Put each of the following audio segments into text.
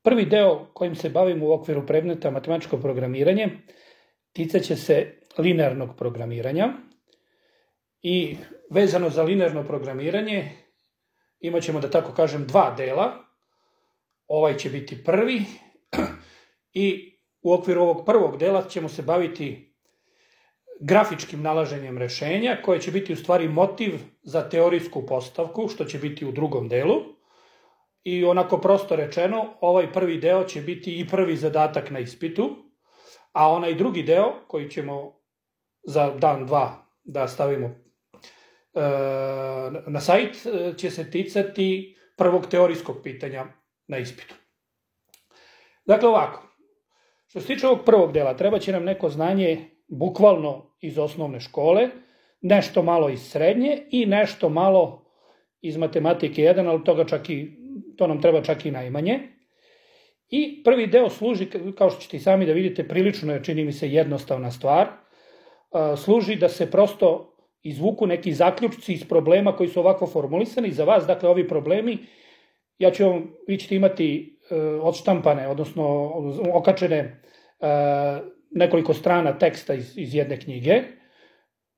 Prvi deo kojim se bavimo u okviru predmeta matematičko programiranje ticaće se linearnog programiranja i vezano za linearno programiranje imat ćemo, da tako kažem, dva dela. Ovaj će biti prvi i u okviru ovog prvog dela ćemo se baviti grafičkim nalaženjem rešenja, koje će biti u stvari motiv za teorijsku postavku, što će biti u drugom delu. I onako prosto rečeno, ovaj prvi deo će biti i prvi zadatak na ispitu, a onaj drugi deo koji ćemo za dan, dva da stavimo na sajt će se ticati prvog teorijskog pitanja na ispitu. Dakle ovako, što se tiče ovog prvog dela, treba će nam neko znanje bukvalno iz osnovne škole, nešto malo iz srednje i nešto malo iz matematike 1, ali to nam treba čak i najmanje. I prvi deo služi, kao što ćete i sami da vidite, prilično je, čini mi se, jednostavna stvar. Služi da se prosto izvuku neki zaključci iz problema koji su ovako formulisani za vas. Dakle, ovi problemi, vi ćete imati odštampane, odnosno okačene nekoliko strana teksta iz jedne knjige.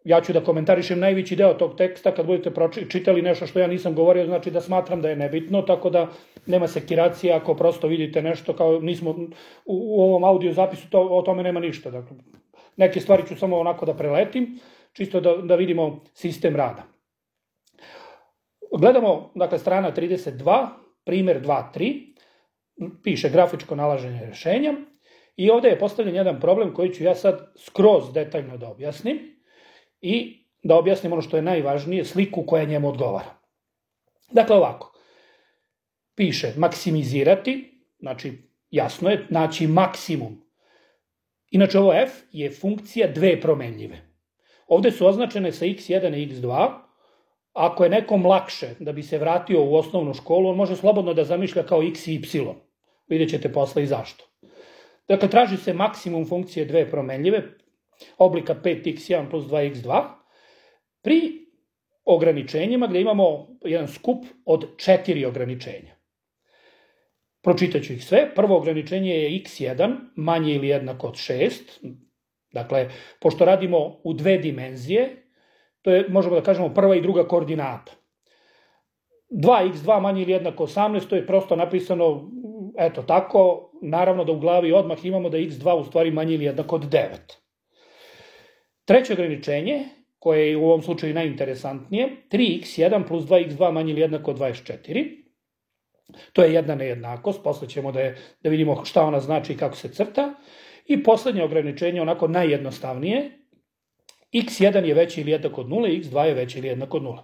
Ja ću da komentarišem najveći deo tog teksta. Kad budete čitali nešto što ja nisam govorio, znači da smatram da je nebitno, tako da nema sekiracije ako prosto vidite nešto kao nismo u ovom audio zapisu, o tome nema ništa. Dakle, neke stvari ću samo onako da preletim, čisto da vidimo sistem rada. Gledamo, dakle, strana 32, primer 2.3, piše grafičko nalaženje rešenja i ovde je postavljen jedan problem koji ću ja sad skroz detaljno da objasnim i da objasnim ono što je najvažnije, sliku koja njemu odgovara. Dakle, ovako, piše maksimizirati, znači jasno je, naći maksimum. Inače, ovo f je funkcija dve promenljive. Ovde su označene sa x1 i x2. Ako je nekom lakše da bi se vratio u osnovnu školu, on može slobodno da zamišlja kao x i y. Vidjet ćete posle i zašto. Dakle, traži se maksimum funkcije dve promenljive, oblika 5x1 plus 2x2, pri ograničenjima gde imamo jedan skup od 4 ograničenja. Pročitaću ih sve. Prvo ograničenje je x1 manje ili jednako od 6. Dakle, pošto radimo u dve dimenzije, to je, možemo da kažemo, prva i druga koordinata. 2x2 manje ili jednako 18, to je prosto napisano, eto tako, naravno da u glavi odmah imamo da je x2 u stvari manje ili jednako od 9. Treće ograničenje, koje je u ovom slučaju najinteresantnije, 3x1 plus 2x2 manje ili jednako od 24. To je jedna nejednakost, posle ćemo da vidimo šta ona znači i kako se crta. I poslednje ograničenje, onako najjednostavnije, x1 je veći ili jednak od 0 i x2 je veći ili jednak od 0.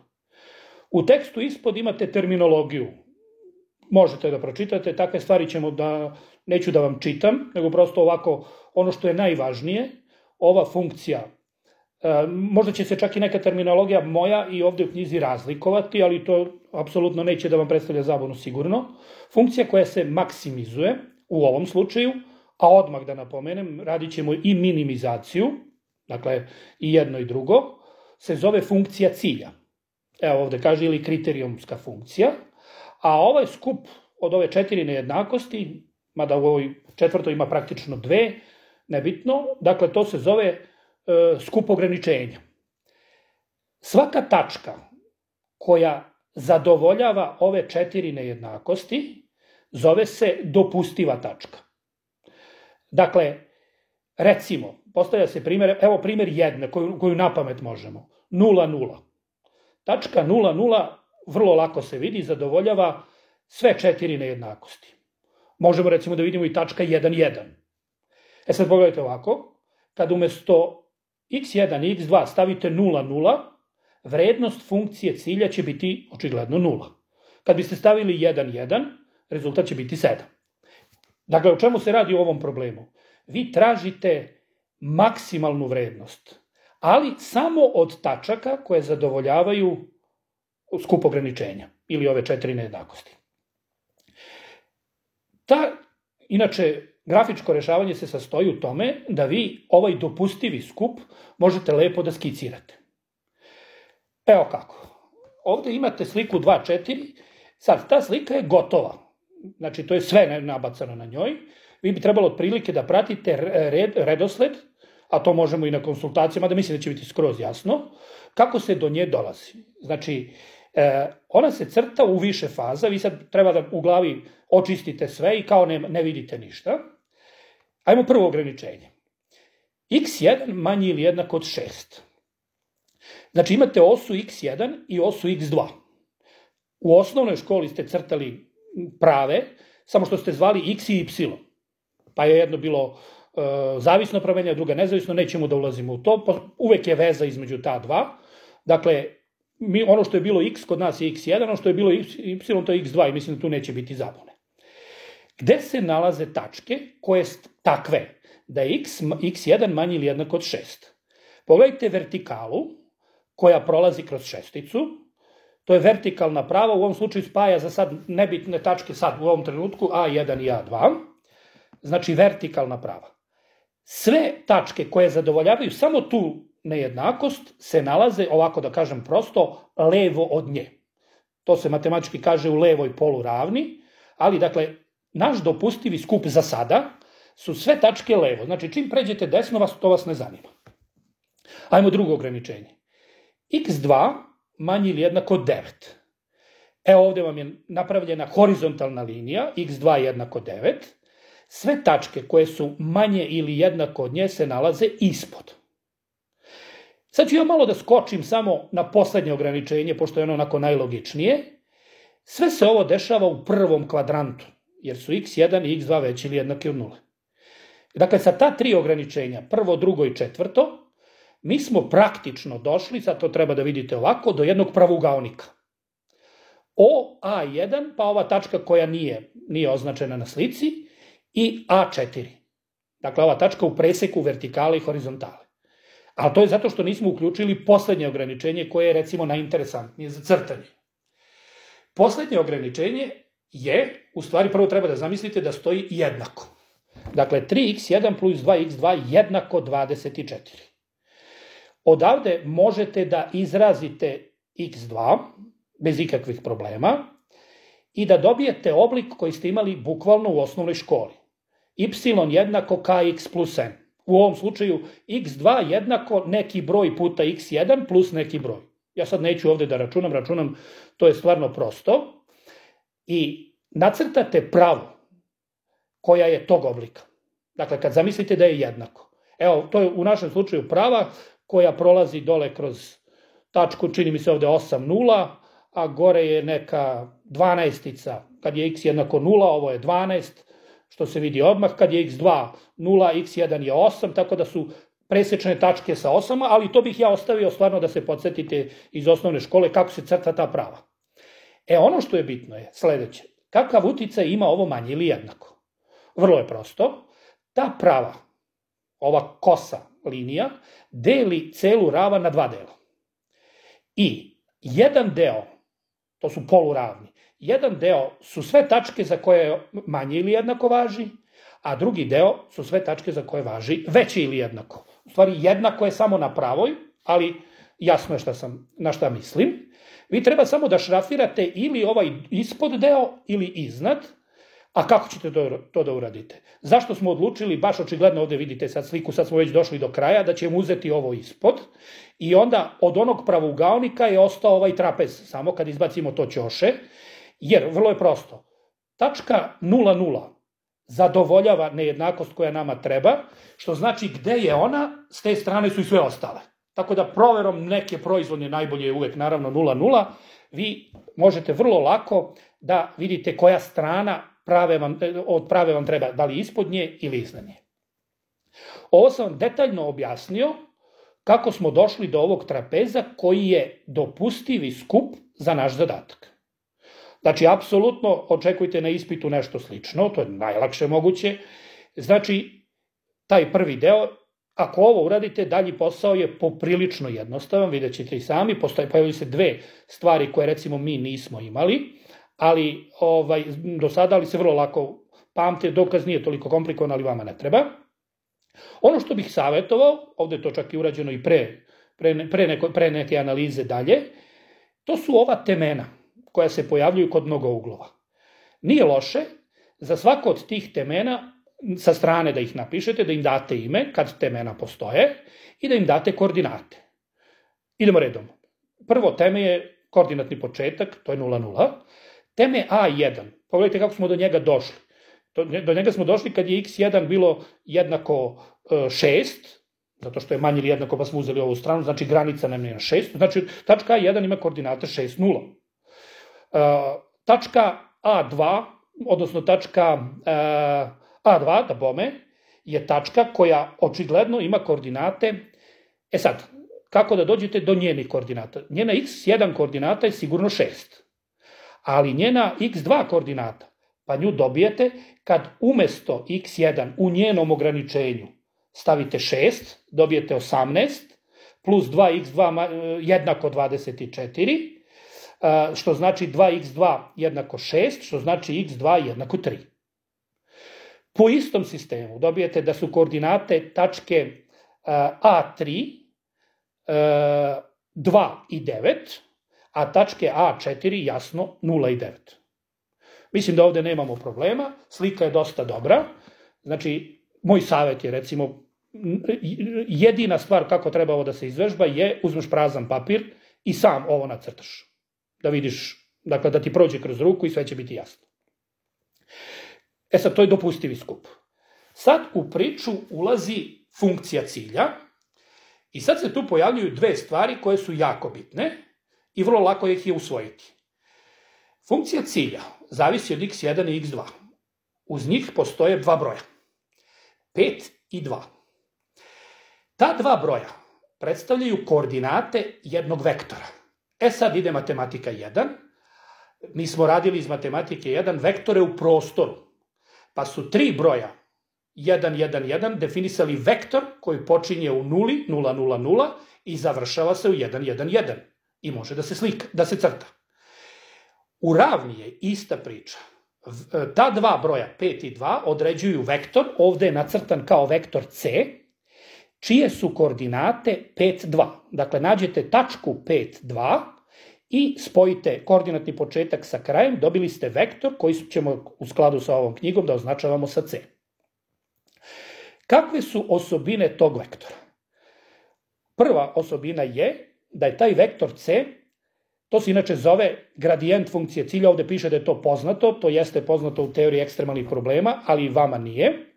U tekstu ispod imate terminologiju. Možete da pročitate, takve stvari neću da vam čitam, nego prosto ovako, ono što je najvažnije, ova funkcija, možda će se čak i neka terminologija moja i ovde u knjizi razlikovati, ali to apsolutno neće da vam predstavlja zabunu sigurno. Funkcija koja se maksimizuje u ovom slučaju, a odmah da napomenem, radit ćemo i minimizaciju, dakle i jedno i drugo, se zove funkcija cilja. Evo ovde kaže ili kriterijumska funkcija, a ovaj skup od ove 4 nejednakosti, mada u ovoj četvrtoj ima praktično 2, nebitno, dakle to se zove skup ograničenja. Svaka tačka koja zadovoljava ove 4 nejednakosti zove se dopustiva tačka. Dakle, recimo, postavlja se primjer, evo primjer jedne koju na pamet možemo, 0, 0. Tačka 0, 0 vrlo lako se vidi, zadovoljava sve 4 nejednakosti. Možemo recimo da vidimo i tačka 1, 1. Sad pogledajte ovako, kad umesto x1 i x2 stavite 0, 0, vrednost funkcije cilja će biti očigledno 0. Kad biste stavili 1, 1, rezultat će biti 7. Dakle, o čemu se radi u ovom problemu? Vi tražite maksimalnu vrednost, ali samo od tačaka koje zadovoljavaju skup ograničenja ili ove 4 nejednakosti. Inače, grafičko rešavanje se sastoji u tome da vi ovaj dopustivi skup možete lepo da skicirate. Evo kako. Ovde imate sliku 2.4. Sad, ta slika je gotova. znači to je sve nabacano na njoj, vi bi trebalo otprilike da pratite redosled, a to možemo i na konsultacijama, da mislim da će biti skroz jasno, kako se do nje dolazi. Znači, ona se crta u više faza, vi sad treba da u glavi očistite sve i kao ne vidite ništa. Ajmo prvo ograničenje. x1 manji ili jednak od 6. Znači imate osu x1 i osu x2. U osnovnoj školi ste crtali prave, samo što ste zvali x i y. Pa je jedno bilo zavisno pramenje, druga nezavisno, nećemo da ulazimo u to, uvek je veza između ta dva. Dakle, ono što je bilo x kod nas je x1, ono što je bilo y to je x2 i mislim da tu neće biti zabune. Gde se nalaze tačke koje su takve da je x1 manji ili jednak od 6? Pogledajte vertikalu koja prolazi kroz šesticu, to je vertikalna prava, u ovom slučaju spaja za sad nebitne tačke sad u ovom trenutku A1 i A2, znači vertikalna prava. Sve tačke koje zadovoljavaju samo tu nejednakost se nalaze, ovako da kažem prosto, levo od nje. To se matematički kaže u levoj poluravni, ali dakle, naš dopustivi skup za sada su sve tačke levo. Znači, čim pređete desno, to vas ne zanima. Ajmo drugo ograničenje. x2 manji ili jednako 9. Evo ovde vam je napravljena horizontalna linija, x2 jednako 9. Sve tačke koje su manje ili jednako od nje se nalaze ispod. Sad ću ja malo da skočim samo na poslednje ograničenje, pošto je ono onako najlogičnije. Sve se ovo dešava u prvom kvadrantu, jer su x1 i x2 veći ili jednaki od 0. Dakle, sa ta tri ograničenja, prvo, drugo i četvrto, mi smo praktično došli, sad to treba da vidite ovako, do jednog pravougaonika. OA1, pa ova tačka koja nije označena na slici, i A4. Dakle, ova tačka u preseku vertikale i horizontale. Ali to je zato što nismo uključili poslednje ograničenje koje je, recimo, najinteresantnije za crtanje. Poslednje ograničenje je, u stvari prvo treba da zamislite da stoji jednako. Dakle, 3x1 plus 2x2 jednako 24. Odavde možete da izrazite x2 bez ikakvih problema i da dobijete oblik koji ste imali bukvalno u osnovnoj školi. Y jednako kx plus n. U ovom slučaju x2 jednako neki broj puta x1 plus neki broj. Ja sad neću ovde da računam, to je stvarno prosto. I nacrtate pravu koja je tog oblika. Dakle, kad zamislite da je jednako. Evo, to je u našem slučaju prava koja prolazi dole kroz tačku, čini mi se ovde 8, 0, a gore je neka 12-ica. Kad je x jednako 0, ovo je 12, što se vidi odmah. Kad je x2 0, x1 je 8, tako da su presečne tačke sa 8, ali to bih ja ostavio stvarno da se podsjetite iz osnovne škole kako se crta ta prava. Ono što je bitno je sledeće. Kakav uticaj ima ovo manje ili jednako? Vrlo je prosto. Ta prava, ova kosa linija, deli celu ravan na dva dela. I jedan deo, to su poluravni, jedan deo su sve tačke za koje manje ili jednako važi, a drugi deo su sve tačke za koje važi veće ili jednako. U stvari, jednako je samo na pravoj, ali jasno je na šta mislim. Vi treba samo da šrafirate ili ovaj ispod deo ili iznad, a kako ćete to da uradite? Zašto smo odlučili, baš očigledno ovde vidite sad sliku, sad smo već došli do kraja, da ćemo uzeti ovo ispod i onda od onog pravougaonika je ostao ovaj trapez, samo kad izbacimo to ćoše, jer vrlo je prosto. Tačka 0,0 zadovoljava nejednakost koja nama treba, što znači gde je ona, s te strane su i sve ostale. Tako da proverom neke proizvodnje, najbolje je uvek naravno 0,0, vi možete vrlo lako da vidite koja strana od prave vam treba, da li ispod nje ili iznad nje. Ovo sam vam detaljno objasnio kako smo došli do ovog trapeza koji je dopustivi skup za naš zadatak. Znači, apsolutno očekujte na ispitu nešto slično, to je najlakše moguće. Znači, taj prvi deo, ako ovo uradite, dalji posao je poprilično jednostavan, vidjet ćete i sami, pojavljaju se dve stvari koje recimo mi nismo imali, ali do sada ali se vrlo lako pamte, dokaz nije toliko komplikovan, ali vama ne treba. Ono što bih savjetovao, ovde je to čak i urađeno i pre neke analize dalje, to su ova temena koja se pojavljuju kod mnogouglova. Nije loše za svako od tih temena sa strane da ih napišete, da im date ime, kad temena postoje, i da im date koordinate. Idemo redom. Prvo teme je koordinatni početak, to je 0, 0. Teme A1, pogledajte kako smo do njega došli. Do njega smo došli kad je x1 bilo jednako 6, zato što je manje ili jednako pa smo uzeli ovu stranu, znači granica nam je na 6, znači tačka A1 ima koordinate 6, 0. Tačka A2, odnosno tačka A2, da bome, je tačka koja očigledno ima koordinate. E sad, kako da dođete do njenih koordinata? Njena x1 koordinata je sigurno 6, ali njena x2 koordinata, pa nju dobijete kad umesto x1 u njenom ograničenju stavite 6, dobijete 18, plus 2x2 jednako 24, što znači 2x2 jednako 6, što znači x2 jednako 3. Po istom sistemu dobijete da su koordinate tačke A3 2 i 9, a tačke A4 jasno 0 i 9. Mislim da ovde nemamo problema, slika je dosta dobra, znači moj savjet je recimo jedina stvar kako treba ovo da se izvežba je uzmeš prazan papir i sam ovo nacrtaš. Da vidiš, dakle da ti prođe kroz ruku i sve će biti jasno. E sad, to je dopustivi skup. Sad u priču ulazi funkcija cilja i sad se tu pojavljuju dve stvari koje su jako bitne i vrlo lako ih je usvojiti. Funkcija cilja zavisi od x1 i x2. Uz njih postoje dva broja. 5 i 2. Ta dva broja predstavljaju koordinate jednog vektora. E sad ide matematika 1. Mi smo radili iz matematike 1 vektore u prostoru. Pa su tri broja 1, 1, 1 definisali vektor koji počinje u 0, 0, 0, 0 i završava se u 1, 1, 1. I može da se crta. U ravni je ista priča. Ta dva broja 5 i 2 određuju vektor, ovde je nacrtan kao vektor C, čije su koordinate 5, 2. Dakle, nađete tačku 5, 2 i spojite koordinatni početak sa krajem, dobili ste vektor koji ćemo u skladu sa ovom knjigom da označavamo sa C. Kakve su osobine tog vektora? Prva osobina je da je taj vektor C, to se inače zove gradijent funkcije cilja, ovde piše da je to poznato, to jeste poznato u teoriji ekstremalnih problema, ali vama nije.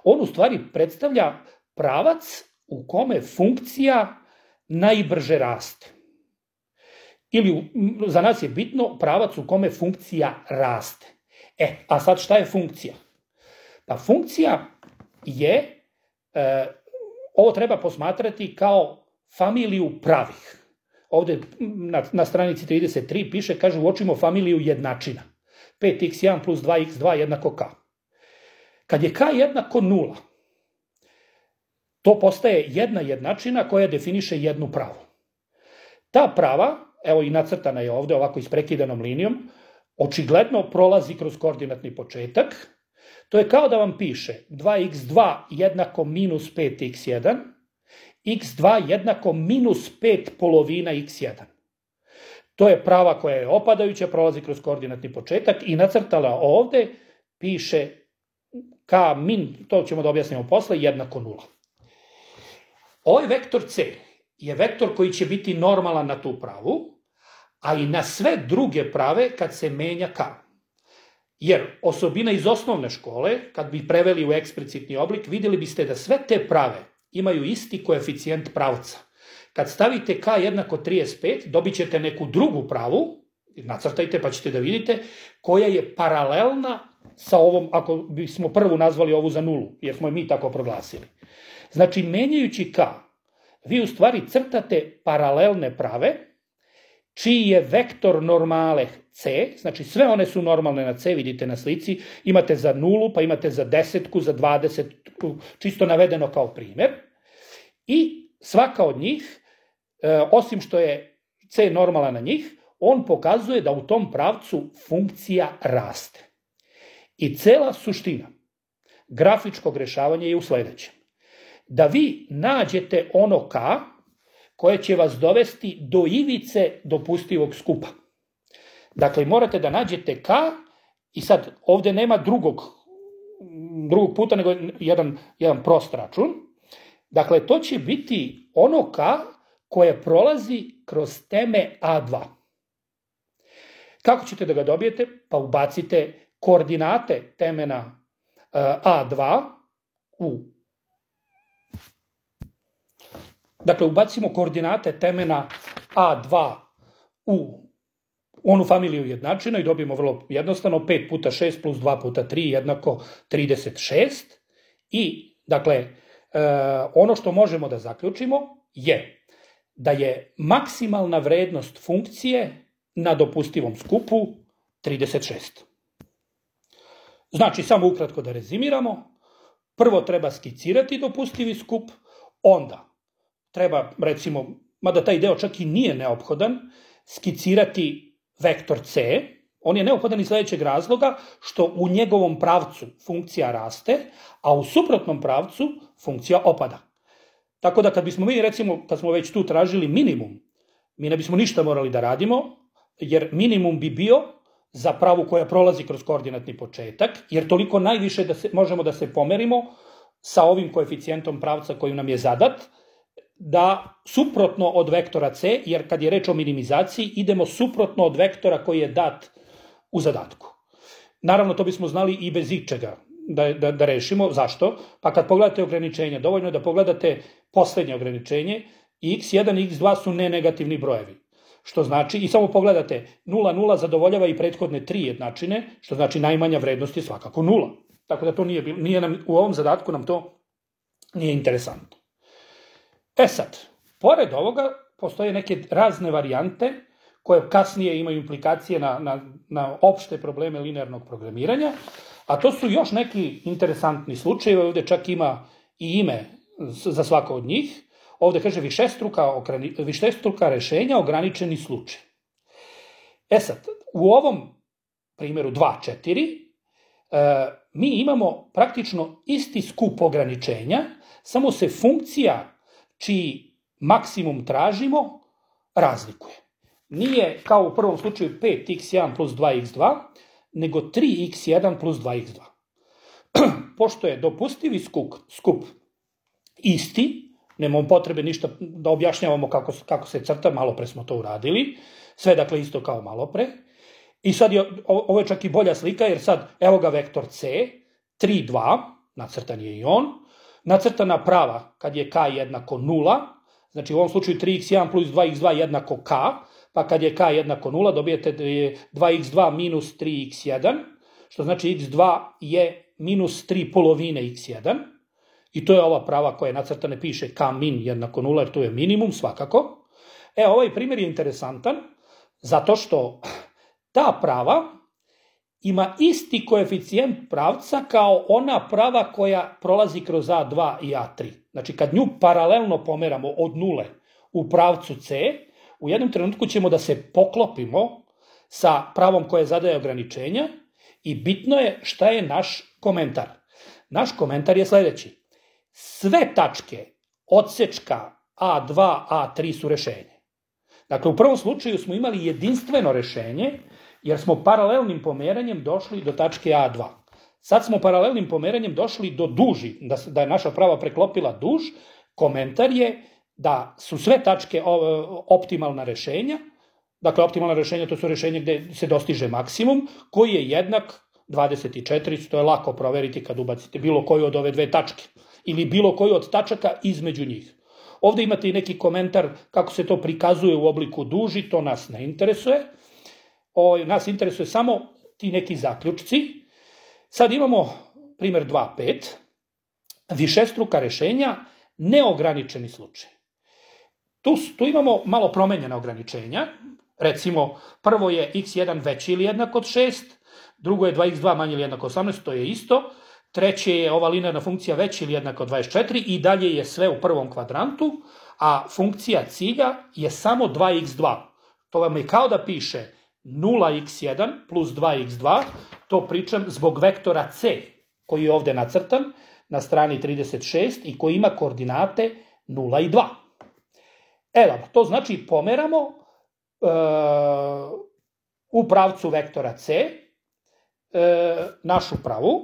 On u stvari predstavlja pravac u kome funkcija najbrže raste. Ili za nas je bitno pravac u kome funkcija raste. A sad šta je funkcija? Pa funkcija je, ovo treba posmatrati kao familiju pravih. Ovde na stranici 33 piše, kaže, uočimo familiju jednačina. 5x1 plus 2x2 jednako k. Kad je k jednako 0, to postaje jedna jednačina koja definiše jednu pravu. Ta prava, evo i nacrtana je ovde ovako isprekidanom linijom, očigledno prolazi kroz koordinatni početak. To je kao da vam piše 2x2 jednako minus 5x1, x2 jednako minus 5 polovina x1. To je prava koja je opadajuća, prolazi kroz koordinatni početak i nacrtala ovde piše k min, to ćemo da objasnimo posle, jednako 0. Ovaj vektor C je vektor koji će biti normalan na tu pravu, a i na sve druge prave kad se menja k. Jer osobina iz osnovne škole, kad bi preveli u eksplicitni oblik, vidjeli biste da sve te prave imaju isti koeficijent pravca. Kad stavite k jednako 35, dobit ćete neku drugu pravu, nacrtajte pa ćete da vidite, koja je paralelna sa ovom, ako bismo prvu nazvali ovu za nulu, jer smo je mi tako proglasili. Znači, menjajući k, vi u stvari crtate paralelne prave, čiji je vektor normale C, znači sve one su normalne na C, vidite na slici, imate za nulu, pa imate za desetku, za 20, čisto navedeno kao primjer. I svaka od njih, osim što je C normala na njih, on pokazuje da u tom pravcu funkcija raste. I cela suština grafičkog rešavanja je u sledećem. Da vi nađete ono k koje će vas dovesti do ivice dopustivog skupa. Dakle, morate da nađete k I sad, ovde nema drugog puta, nego jedan prost račun. Dakle, to će biti ono k koje prolazi kroz teme A2. Kako ćete da ga dobijete? Pa ubacite koordinate temena A2 Dakle, ubacimo koordinate temena A2 u onu familiju jednačina i dobijemo vrlo jednostavno 5 puta 6 plus 2 puta 3 jednako 36. I, dakle, ono što možemo da zaključimo je da je maksimalna vrednost funkcije na dopustivom skupu 36. Znači, samo ukratko da rezimiramo, prvo treba skicirati dopustivi skup, onda treba, recimo, mada taj deo čak i nije neophodan, skicirati vektor C. On je neophodan iz sledećeg razloga što u njegovom pravcu funkcija raste, a u suprotnom pravcu funkcija opada. Tako da kad bismo mi, recimo, kad smo već tu tražili minimum, mi ne bismo ništa morali da radimo, jer minimum bi bio za pravu koja prolazi kroz koordinatni početak, jer toliko najviše možemo da se pomerimo sa ovim koeficijentom pravca koji nam je zadat, da suprotno od vektora C, jer kad je reč o minimizaciji, idemo suprotno od vektora koji je dat u zadatku. Naravno, to bismo znali i bez ičega da rešimo. Zašto? Pa kad pogledate ograničenja, dovoljno je da pogledate poslednje ograničenje, x1 i x2 su nenegativni brojevi. Što znači, i samo pogledate, 0,0 zadovoljava i prethodne 3 jednačine, što znači najmanja vrednost je svakako 0. Tako da to nije nam, u ovom zadatku nam to nije interesantno. E sad, pored ovoga, postoje neke razne varijante koje kasnije imaju implikacije na opšte probleme linearnog programiranja, a to su još neki interesantni slučajevi, ovde čak ima i ime za svako od njih. Ovde kaže višestruka rešenja, ograničeni slučaj. E sad, u ovom primjeru 2,4 mi imamo praktično isti skup ograničenja, samo se funkcija čiji maksimum tražimo razlikuje. Nije kao u prvom slučaju 5x1 plus 2x2, nego 3x1 plus 2x2. Pošto je dopustivi skup isti, nemamo potrebe ništa da objašnjavamo kako se crta, malo pre smo to uradili, sve dakle isto kao malo pre. I sad ovo je čak i bolja slika, jer sad evo ga vektor C, 3, 2, nacrtan je i on, nacrtana prava kad je k jednako 0, znači u ovom slučaju 3x1 plus 2x2 jednako k, pa kad je k jednako 0 dobijete da je 2x2 minus 3x1, što znači x2 je minus 3 polovine x1, i to je ova prava koja je nacrtana, piše k min jednako 0, jer tu je minimum svakako. Ovaj primjer je interesantan, zato što ta prava ima isti koeficijent pravca kao ona prava koja prolazi kroz A2 i A3. Znači, kad nju paralelno pomeramo od 0 u pravcu C, u jednom trenutku ćemo da se poklopimo sa pravom koje zadaje ograničenja i bitno je šta je naš komentar. Naš komentar je sledeći. Sve tačke odsečka A2, A3 su rešenje. Dakle, u prvom slučaju smo imali jedinstveno rešenje, jer smo paralelnim pomeranjem došli do tačke A2. Sad smo paralelnim pomeranjem došli do duži, da je naša prava preklopila duž. Komentar je da su sve tačke optimalna rešenja. Dakle, optimalna rešenja to su rešenja gde se dostiže maksimum, koji je jednak 24, to je lako proveriti kad ubacite bilo koju od ove dve tačke ili bilo koju od tačaka između njih. Ovde imate i neki komentar kako se to prikazuje u obliku duži, to nas ne interesuje. Nas interesuje samo ti neki zaključci. Sad imamo primer 2.5, višestruka rešenja, neograničeni slučaj. Tu imamo malo promenjena ograničenja. Recimo, prvo je x1 veći ili jednak od 6, drugo je 2x2 manje ili jednak od 18, to je isto. Treće je ova linearna funkcija veći ili jednak od 24 i dalje je sve u prvom kvadrantu, a funkcija cilja je samo 2x2. To vam je kao da piše 0x1 plus 2x2, to pričam zbog vektora C, koji je ovde nacrtan na strani 36 i koji ima koordinate 0 i 2. Dobro, to znači pomeramo u pravcu vektora C, našu pravu.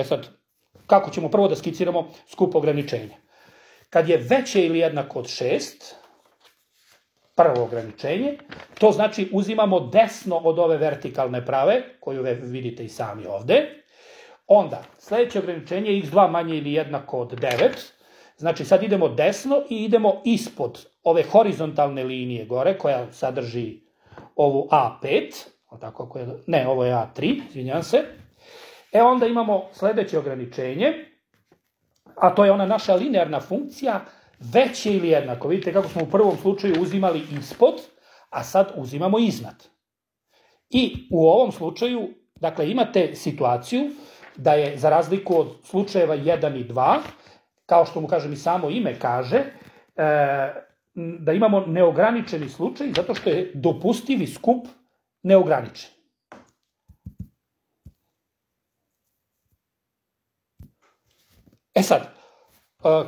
Sad, kako ćemo prvo da skiciramo skup ograničenja? Kad je veće ili jednako od 6, prvo ograničenje, to znači uzimamo desno od ove vertikalne prave, koju vidite i sami ovde. Onda, sledeće ograničenje je x2 manje ili jednako od 9. Znači, sad idemo desno i idemo ispod ove horizontalne linije gore, koja sadrži ovu A5, ne, ovo je A3, izvinjam se. Onda imamo sledeće ograničenje, a to je ona naša linearna funkcija, veće ili jednako. Vidite kako smo u prvom slučaju uzimali ispod, a sad uzimamo iznad. I u ovom slučaju, dakle, imate situaciju da je, za razliku od slučajeva 1 i 2, kao što mu kažem i samo ime kaže, da imamo neograničeni slučaj, zato što je dopustivi skup neograničen. Sad,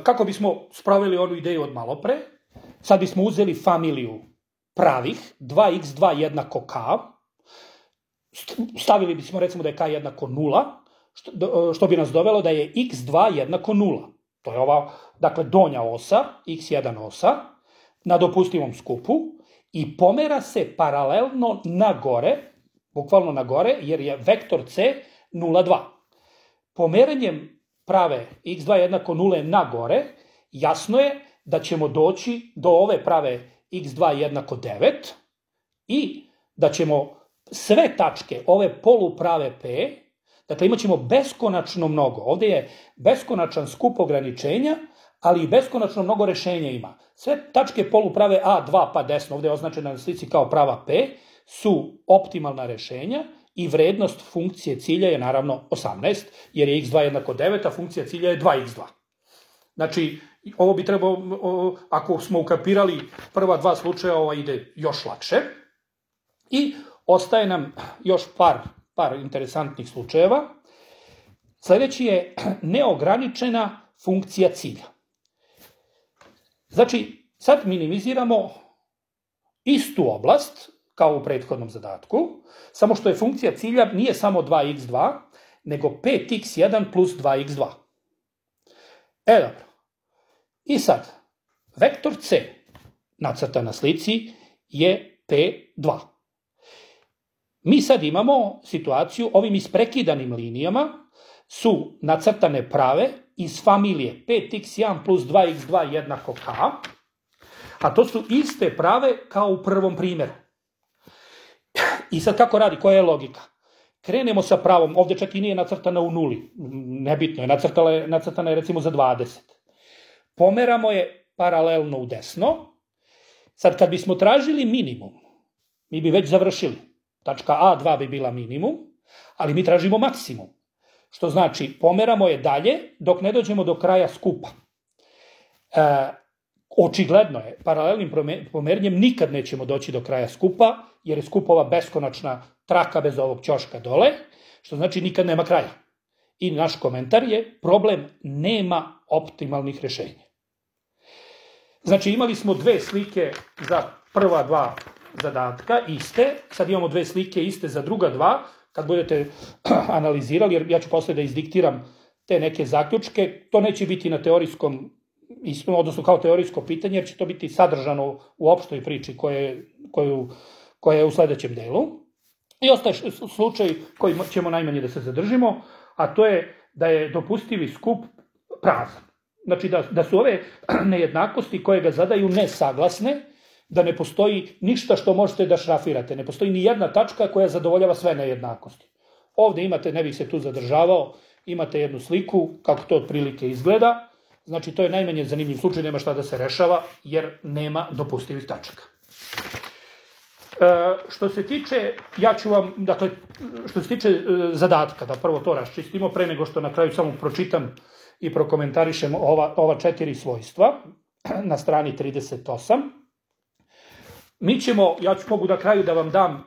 kako bismo sproveli onu ideju od malo pre, sad bismo uzeli familiju pravih, 2x2 jednako k, stavili bismo recimo da je k jednako 0, što bi nas dovelo da je x2 jednako 0. To je ova, dakle, donja osa, x1 osa, na dopustivom skupu i pomera se paralelno na gore, bukvalno na gore, jer je vektor c 0,2. Pomeranjem prave x2 jednako 0 na gore, jasno je da ćemo doći do ove prave x2 jednako 9 i da ćemo sve tačke, ove poluprave p, dakle imat ćemo beskonačno mnogo. Ovde je beskonačan skup ograničenja, ali i beskonačno mnogo rešenja ima. Sve tačke poluprave A2 pa desno, ovde je označena na slici kao prava P, su optimalna rešenja i vrednost funkcije cilja je naravno 18, jer je x2 jednako 9, a funkcija cilja je 2x2. Znači, ovo bi trebalo, ako smo ukapirali prva dva slučaja, ovo ide još lakše. I ostaje nam još par interesantnih slučajeva. Sledeći je neograničena funkcija cilja. Znači, sad minimiziramo istu oblast kao u prethodnom zadatku, samo što je funkcija cilja nije samo 2x2, nego 5x1 plus 2x2. Dobro. I sad, vektor c, nacrtan na slici, je p2. Mi sad imamo situaciju, ovim isprekidanim linijama su nacrtane prave iz familije 5x1 plus 2x2 jednako k, a to su iste prave kao u prvom primjeru. I sad kako radi, koja je logika? Krenemo sa pravom, ovde čak i nije nacrtana u nuli, nebitno je, nacrtana je recimo za 20. Pomeramo je paralelno u desno. Sad kad bismo tražili minimum, mi bi već završili. Tačka A2 bi bila minimum, ali mi tražimo maksimum. Što znači, pomeramo je dalje dok ne dođemo do kraja skupa. Očigledno je, paralelnim pomeranjem nikad nećemo doći do kraja skupa, jer je skupova beskonačna traka bez ovog ćoška dole, što znači nikad nema kraja. I naš komentar je, problem nema optimalnih rešenja. Znači, imali smo dve slike za prva dva zadatka, iste, sad imamo dve slike iste za druga dva, kad budete analizirali, jer ja ću posle da izdiktiram te neke zaključke, to neće biti na teorijskom, odnosno kao teorijsko pitanje, jer će to biti sadržano u opštoj priči koja je u sledećem delu. I ostaje slučaj koji ćemo najmanje da se zadržimo, a to je da je dopustivi skup prazan. Znači da su ove nejednakosti koje ga zadaju nesaglasne, da ne postoji ništa što možete da šrafirate, ne postoji ni jedna tačka koja zadovoljava sve nejednakosti. Ovde imate, ne bih se tu zadržavao, imate jednu sliku kako to otprilike izgleda, znači to je najmanje zanimljiv slučaj, nema šta da se rešava jer nema dopustivih tačaka. Što se tiče, što se tiče zadatka, da prvo to raščistimo, pre nego što na kraju samo pročitam i prokomentarišem ova 4 svojstva na strani 38. Mi ćemo, mogu na kraju da vam dam,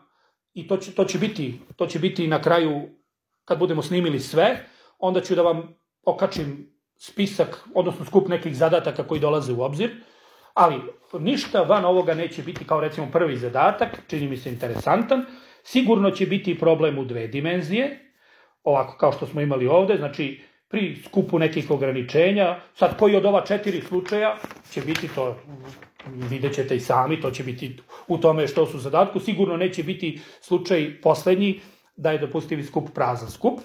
i to će biti na kraju, kad budemo snimili sve, onda ću da vam okačim spisak, odnosno skup nekih zadataka koji dolaze u obzir, ali ništa van ovoga neće biti kao recimo prvi zadatak, čini mi se interesantan, sigurno će biti problem u 2 dimenzije, ovako kao što smo imali ovde, znači pri skupu nekih ograničenja, sad koji od ova 4 slučaja će biti to, vidjet ćete i sami, to će biti u tome što su zadatku, sigurno neće biti slučaj poslednji da je dopustivi skup prazan skup.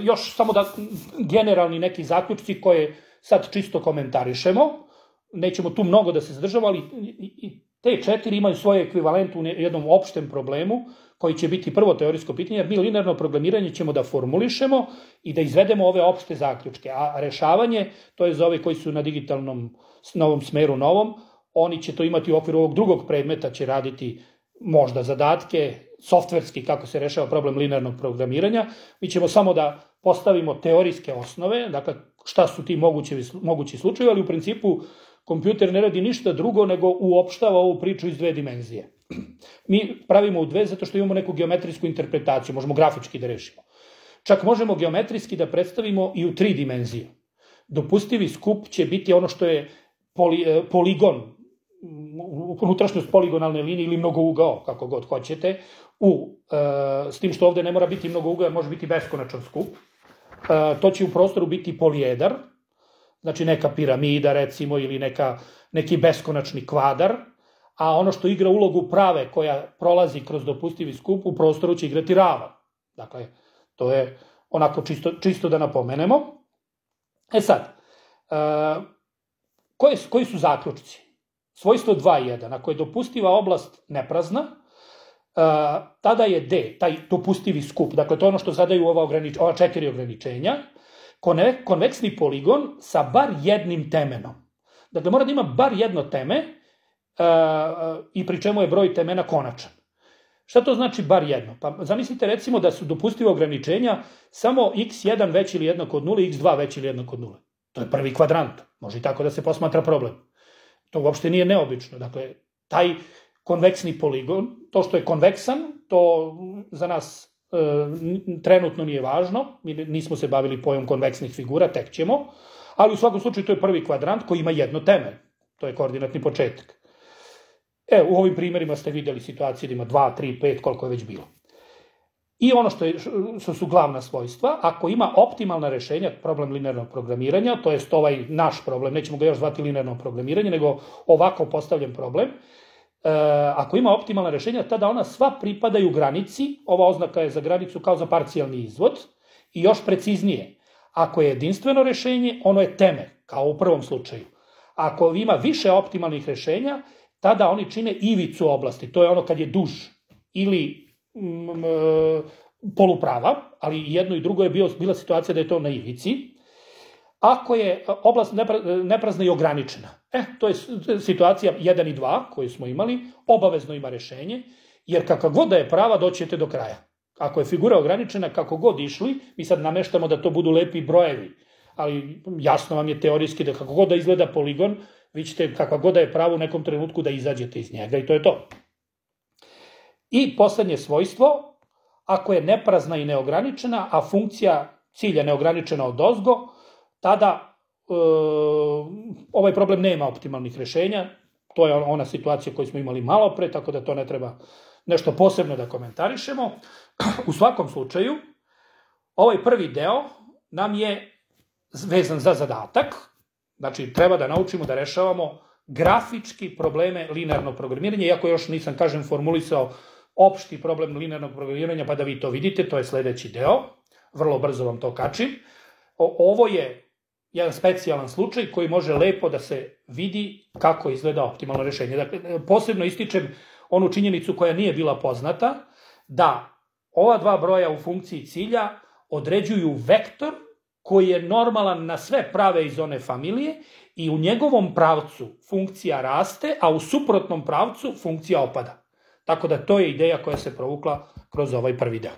Još samo da generalni neki zaključci koje sad čisto komentarišemo, nećemo tu mnogo da se zadržamo, ali te 4 imaju svoje ekvivalente u jednom opštem problemu, koji će biti prvo teorijsko pitanje, jer mi linearno programiranje ćemo da formulišemo i da izvedemo ove opšte zaključke, a rešavanje, to je za ove koji su na digitalnom novom smeru novom, oni će to imati u okviru ovog drugog predmeta, će raditi možda zadatke, softverski kako se rešava problem linearnog programiranja. Mi ćemo samo da postavimo teorijske osnove, dakle šta su ti mogući slučajevi, ali u principu kompjuter ne radi ništa drugo nego uopštava ovu priču iz 2 dimenzije. Mi pravimo u 2 zato što imamo neku geometrijsku interpretaciju, možemo grafički da rešimo. Čak možemo geometrijski da predstavimo i u 3 dimenzije. Dopustivi skup će biti ono što je poligon, unutrašnjost poligonalne linije ili mnogougao, kako god hoćete, s tim što ovde ne mora biti mnogougao, može biti beskonačan skup. To će u prostoru biti polijedar, znači neka piramida recimo ili neki beskonačni kvadar, a ono što igra ulogu prave koja prolazi kroz dopustivi skup u prostoru će igrati ravan. Dakle, to je onako čisto da napomenemo. Sad, koji su zaključci? Svojstvo 2.1, ako je dopustiva oblast neprazna, tada je D, taj dopustivi skup, dakle to je ono što zadaju ova 4 ograničenja, konveksni poligon sa bar jednim temenom. Dakle, mora da ima bar jedno teme i pri čemu je broj temena konačan. Šta to znači bar jedno? Pa zamislite recimo da su dopustiva ograničenja samo x1 veći ili jednako od 0 i x2 veći ili jednako od 0. To je prvi kvadrant, može i tako da se posmatra problem. To uopšte nije neobično. Dakle, taj konveksni poligon, to što je konveksan, to za nas trenutno nije važno, mi nismo se bavili pojom konveksnih figura, tek ćemo, ali u svakom slučaju to je prvi kvadrant koji ima jedno teme, to je koordinatni početak. U ovim primjerima ste videli situacije da ima 2, 3, 5, koliko je već bilo. I ono što su glavna svojstva, ako ima optimalna rešenja, problem linearnog programiranja, to jest ovaj naš problem, nećemo ga još zvati linearno programiranje, nego ovako postavljen problem, ako ima optimalna rešenja, tada ona sva pripadaju granici, ova oznaka je za granicu kao za parcijalni izvod, i još preciznije, ako je jedinstveno rešenje, ono je teme, kao u prvom slučaju. Ako ima više optimalnih rešenja, tada oni čine ivicu oblasti, to je ono kad je duž ili poluprava, ali jedno i drugo je bila situacija da je to na ivici. Ako je oblast neprazna i ograničena, to je situacija 1 i 2 koju smo imali, obavezno ima rešenje, jer kakva god da je prava, doćete do kraja. Ako je figura ograničena, kako god išli, mi sad nameštamo da to budu lepi brojevi, ali jasno vam je teorijski da kako god da izgleda poligon, vi ćete kakva god da je prava u nekom trenutku da izađete iz njega i to je to. I poslednje svojstvo, ako je neprazna i neograničena, a funkcija cilja neograničena odozgo, tada ovaj problem nema optimalnih rešenja, to je ona situacija koju smo imali malo pre, tako da to ne treba nešto posebno da komentarišemo. U svakom slučaju, ovaj prvi deo nam je vezan za zadatak, znači treba da naučimo da rešavamo grafički probleme linearnog programiranja, iako još nisam, formulisao opšti problem linearnog programiranja, pa da vi to vidite, to je sledeći deo, vrlo brzo vam to kačim. Ovo je jedan specijalan slučaj koji može lepo da se vidi kako izgleda optimalno rešenje. Dakle, posebno ističem onu činjenicu koja nije bila poznata, da ova dva broja u funkciji cilja određuju vektor koji je normalan na sve prave iz one familije i u njegovom pravcu funkcija raste, a u suprotnom pravcu funkcija opada. Tako da to je ideja koja se provukla kroz ovaj prvi deo.